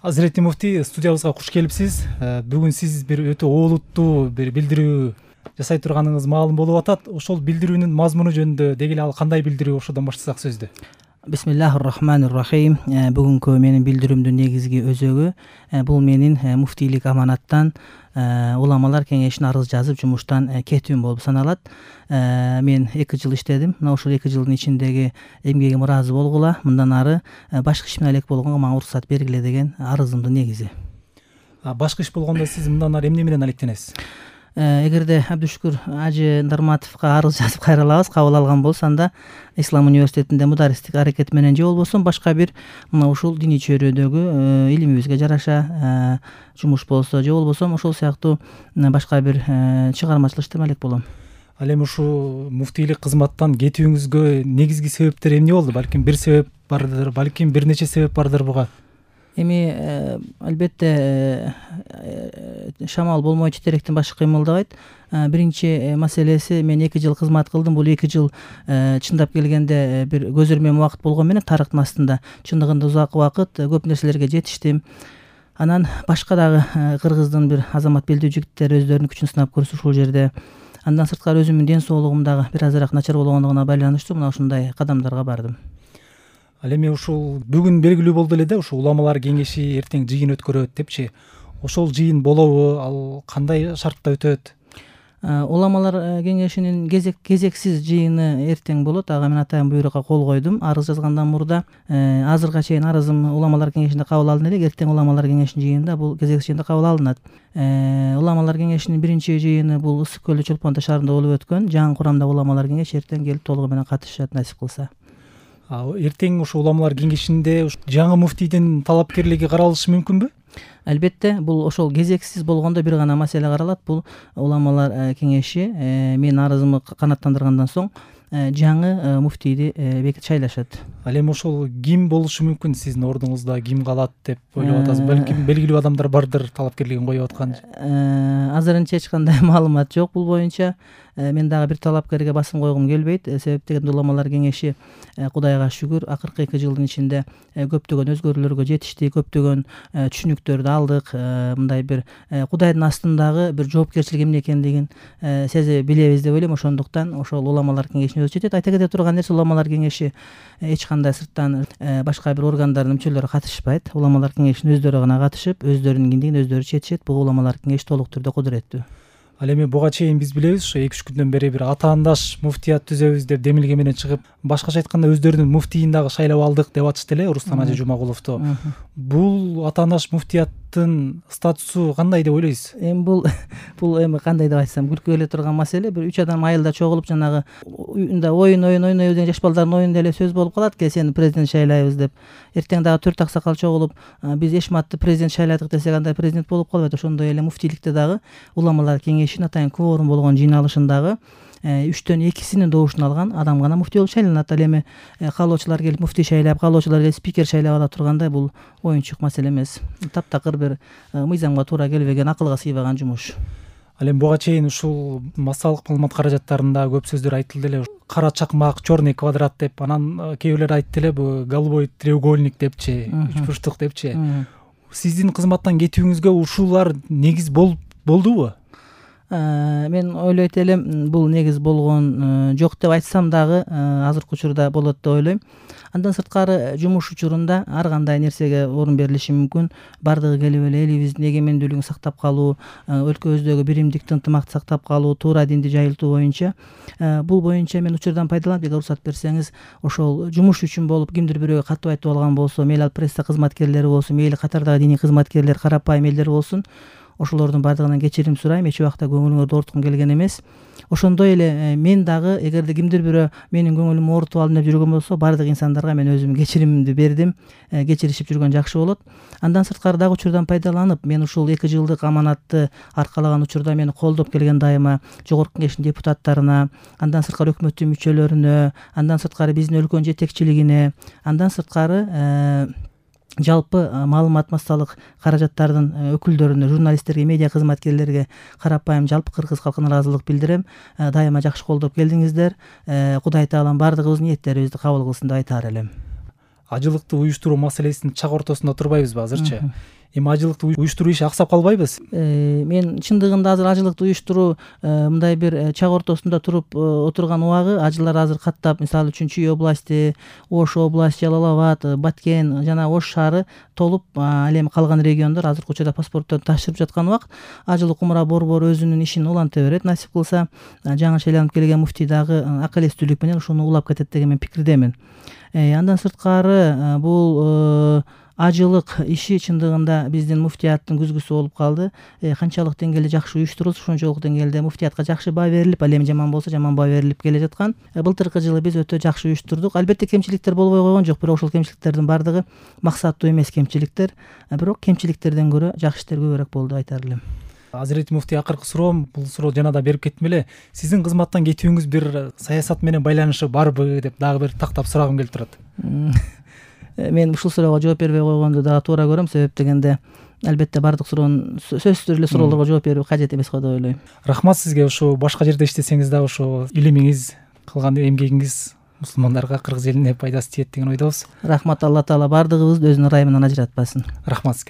Азирети муфтий, студиябызга куш келипсиз. Бүгүн сиз бир өтө олуттуу бир билдирүү жасай турганыңыз маалым болуп атат. Ошол билдирүүнүн мазмуну жөнүндө деги эле ал кандай билдирүү, ошодон баштасак сөздү. Бисмиллахир-рахманир-рахим. Бүгүнкү менин билдирүүмдүн негизги өзөгү бул менин муфтийлик аманаттан уламалар кеңешине арыз жазып жумуштан кетүүм болуп саналат. Мен 2 жыл иштедим. Мына ошол 2 жылдын ичиндеги эмгегиме ыраазы болгула. Мындан ары башка иш менен элек болгонго мага уруксат бергиле деген арызымдын негизи. Башка иш болгондо сиз мындан ары эмне менен алектенесиз? Эгерде Абдушкур Ажы Ндарматовго арыз жазып кайрылабыз, кабыл алган болсо, анда Ислам университетинде мударистик аракет менен же болбосо башка бир мына ушул диний чөйрөдөгү илимибизге жараша жумуш болсо, же болбосо ошол сыяктуу башка бир чыгармачылык иштеп элек болом. Ал эми ушул муфтийлик кызматтан кетүүңүзгө негизги себептер эмне болду? Балким бир себеп бардыр, балким бир нече себеп бардыр буга. Эми албетте шамал болмой четеректин башы кыймылдабайт. Биринчи маселеси, мен 2 жыл кызмат кылдым. Бул 2 жыл чындап келгенде бир көз өрмөм убакыт болгон менен тарыхтын астында чындыгында узак убакыт көп нерселерге жетиштим. Анан башка дагы кыргыздын бир азамат белдүү жигиттери өздөрүнүн күчүн сынап көрсө ушул жерде. Андан сырткары өзүмдүн ден соолугум дагы бир азыраак начар болгондугуна байланыштуу мына ушундай кадамдарга бардым. Ал эми ушул бүгүн белгилүү болду эле да, ушул уламалар кеңеши эртең жыйын өткөрөт депчи. Ошол жыйын болобу, ал кандай шартта өтөт? Уламалар кеңешинин кезексиз жыйыны эртең болот. Ага мен атайын буйрукка кол койдум. Арыз жазгандан мурда азыркыга чейин арызым уламалар кеңешинде кабыл алынды элек. Эртең уламалар кеңешинин жыйынында бул кезексиз жыйында кабыл алынат. Уламалар кеңешинин биринчи жыйыны бул Ысык көлдө Чолпон Ата шаарында болуп өткөн. Жаңы курамдагы уламалар кеңеши эртең келип толугу менен катышат, насип кылса. Эртең ушул уламалар кеңешинде жаңы муфтийдин талапкерлиги каралышы мүмкүнбү? Албетте, бул ошол кезексиз болгондо бир гана маселе каралат. Бул уламалар кеңеши менин арызымды канааттандыргандан соң жаңы муфтийди шайлашат. Ал эми ошол ким болушу мүмкүн? Сиздин ордуңузда ким калат деп ойлоп атасыз? Балким белгилүү адамдар бардыр талапкерлигин коюп аткан. Азырынча эч кандай маалымат жок бул боюнча. Мен дагы бир талапкерге басым койгум келбейт. Себеп дегенде уламалар кеңеши Кудайга шүгүр акыркы 2 жылдын ичинде көптөгөн өзгөрүүлөргө жетишти, көптөгөн түшүнүктөрдү алдык. Мындай бир Кудайдын астындагы бир жоопкерчилик эмне экендигин сезе билебиз деп ойлойм. Ошондуктан ошол уламалар кеңешине өзү жетет. Айта кете турган нерсе, уламалар кеңеши эч кандай сырттан башка бир органдардын мүчөлөрү катышпайт. Уламалар кеңешине өздөрү гана катышып, өздөрүнүн киндигин өздөрү чечишет. Бул уламалар кеңеши толук түрдө кудуреттүү. Ал эми буга чейин биз билебиз, ошо 2-3 күндөн бери бир атаандаш муфтият түзөбүз деп демилге менен чыгып, башкача айтканда өздөрүнүн муфтийин дагы шайлап алдык деп атышты эле Рустам Ажы Жумагуловду. Бул атаандаш муфтияттын статусу кандай деп ойлойсуз? Эми бул эми кандай деп айтсам, күлкү келе турган маселе. Бир 3 адам айылда чогулуп жанагы уюнда ойнойбуз деген жаш балдардын оюнунда эле сөз болуп калат. Сени президент шайлайбыз деп. Эртең дагы 4 аксакал чогулуп, биз Эшматты президент шайладык десек, андай президент болуп калбайт. Ошондой эле муфтийликте дагы уламалар кеңешинин атайын кворум болгон жыйналышындагы 3төн 2синин добушун алган адам гана муфтий болуп шайланат. Ал эми каалоочулар келип муфтий шайлап, каалоочулар келип спикер шайлап ала тургандай бул оюнчук маселе эмес. Таптакыр бир мыйзамга туура келбеген, акылга сыйбаган жумуш. Ал эми буга чейин ушул массалык маалымат каражаттарында көп сөздөр айтылды эле. Кара чакмак, черный квадрат деп, анан кээ бирлер айтты эле бул голубой треугольник депчи, 3 бурчтук депчи. Сиздин кызматтан кетүүңүзгө ушулар негиз болдубу? Мен ойлойт элем, бул негиз болгон жок деп айтсам дагы азыркы учурда болот деп ойлойм. Андан сырткары жумуш учурунда ар кандай нерсеге орун берилиши мүмкүн. Бардыгы келип эле элибиздин эгемендүүлүгүн сактап калуу, өлкөбүздөгү биримдикти, ынтымакты сактап калуу, туура динди жайылтуу боюнча. Бул боюнча мен учурдан пайдаланып, эгер уруксат берсеңиз, ошол жумуш үчүн болуп кимдир бирөөгө катып айтып алган болсо, мейли ал пресса кызматкерлери болсун, мейли катардагы диний кызматкерлер, карапайым элдер болсун, ошолордун бардыгынан кечирим сурайм. Эч убакта көңүлүңөрдү ооруткум келген эмес. Ошондой эле мен дагы эгерде кимдир бирөө менин көңүлүмдү оорутуп алдым деп жүргөн болсо, бардык инсандарга мен өзүм кечиримди бердим. Кечиришип жүргөн жакшы болот. Андан сырткары дагы учурдан пайдаланып, мен ушул 2 жылдык аманатты аркалаган учурда мени колдоп келген дайыма жогорку кеңештин депутаттарына, андан сырткары өкмөттүн мүчөлөрүнө, андан сырткары биздин өлкөнүн жетекчилигине, андан сырткары жалпы маалымат массалык каражаттардын өкүлдөрүнө, журналисттерге, медиа кызматкерлерге, карапайым жалпы кыргыз калкына ыраазылык билдирем. Дайыма жакшы колдоп келдиңиздер. Кудай таалам бардыгыбыздын ниеттерибизди кабыл кылсын деп айтаар элем. ажылыкты уюштуруу маселесинин чак ортосунда турбайбызбы азырчы? Эми ажылыкты уюштуруу иши аксап калбайбыз? Мен чындыгында азыр ажылыкты уюштуруу мындай бир чак ортосунда туруп отурган убагы, ажылар азыр каттап, мисалы үчүн Чүй области, Ош области, Жалал Абад, Баткен жана Ош шаары толуп, ал эми калган региондор азыркы учурда паспортторду тапшырып жаткан убакыт ажылык кумура борбору өзүнүн ишин уланта берет, насип кылса. Жаңы шайланып келген муфтий дагы акыл эстүүлүк менен ушуну улап кетет деген мен пикирдемин. Андан сырткары бул ажылык иши чындыгында биздин муфтияттын күзгүсү болуп калды. Канчалык деңгээлде жакшы уюштурулса, ошончолук деңгээлде муфтиятка жакшы баа берилип, ал эми жаман болсо жаман баа берилип келе жаткан. Былтыркы жылы биз өтө жакшы уюштурдук. Албетте кемчиликтер болбой койгон жок, бирок ошол кемчиликтердин баардыгы максаттуу эмес кемчиликтер, бирок кемчиликтерден көрө жакшы иштер көбүрөөк болду деп айтар элем. Азирети муфтий, акыркы суроом, бул суроо жана да берип кеттим эле. Сиздин кызматтан кетүүңүз бир саясат менен байланышы барбы деп дагы бир тактап сурагым келип турат. Мен ушул суроого жооп бербей койгонду дагы туура көрөм, себеп дегенде албетте баардык суроонун сөзсүз эле суроолорго жооп берүү кажет эмес го деп ойлойм. Рахмат сизге. Ушу башка жерде иштесеңиз дагы ошо илимиңиз, кылган эмгегиңиз мусулмандарга, кыргыз элине пайдасы тиет деген ойдобуз. Рахмат, Алла Таала баардыгыбызды өзүнүн ырайымынан ажыратпасын. Рахмат сизге.